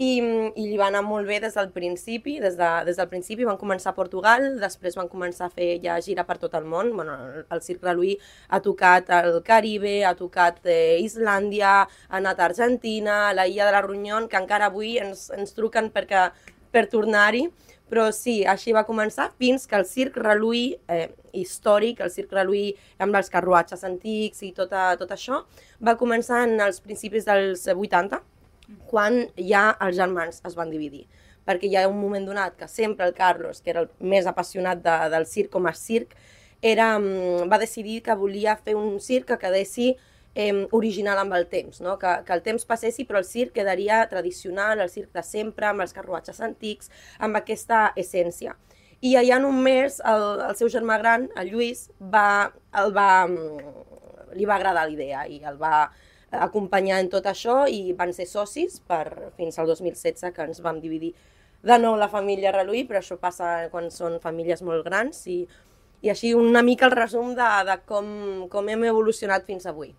i li va anar molt bé des del principi, des del principi van començar a Portugal, després van començar a fer ja gira per tot el món. Bueno, el Circ Reluí ha tocat el Caribe, ha tocat Islàndia, ha anat a Argentina, a la Illa de la Reunió, que encara avui ens truquen per tornar-hi, però sí, així va començar fins que el Circ Reluí històric, el Circ Reluí amb els carruatges antics i tot això, va començar en els principis dels 80, quan ja els germans es van dividir. Perquè hi ha un moment donat que sempre el Carlos, que era el més apassionat del circ com a circ, va decidir que volia fer un circ que quedessi original amb el temps, no? que el temps passessi però el circ quedaria tradicional, el circ de sempre, amb els carruatges antics, amb aquesta essència. I allà en un mes el seu germà gran, el Lluís, li va agradar la idea i el va acompanyar en tot això i van ser socis fins al 2016, que ens vam dividir de nou la família Reluí, però això passa quan són famílies molt grans i així una mica el resum de com hem evolucionat fins avui.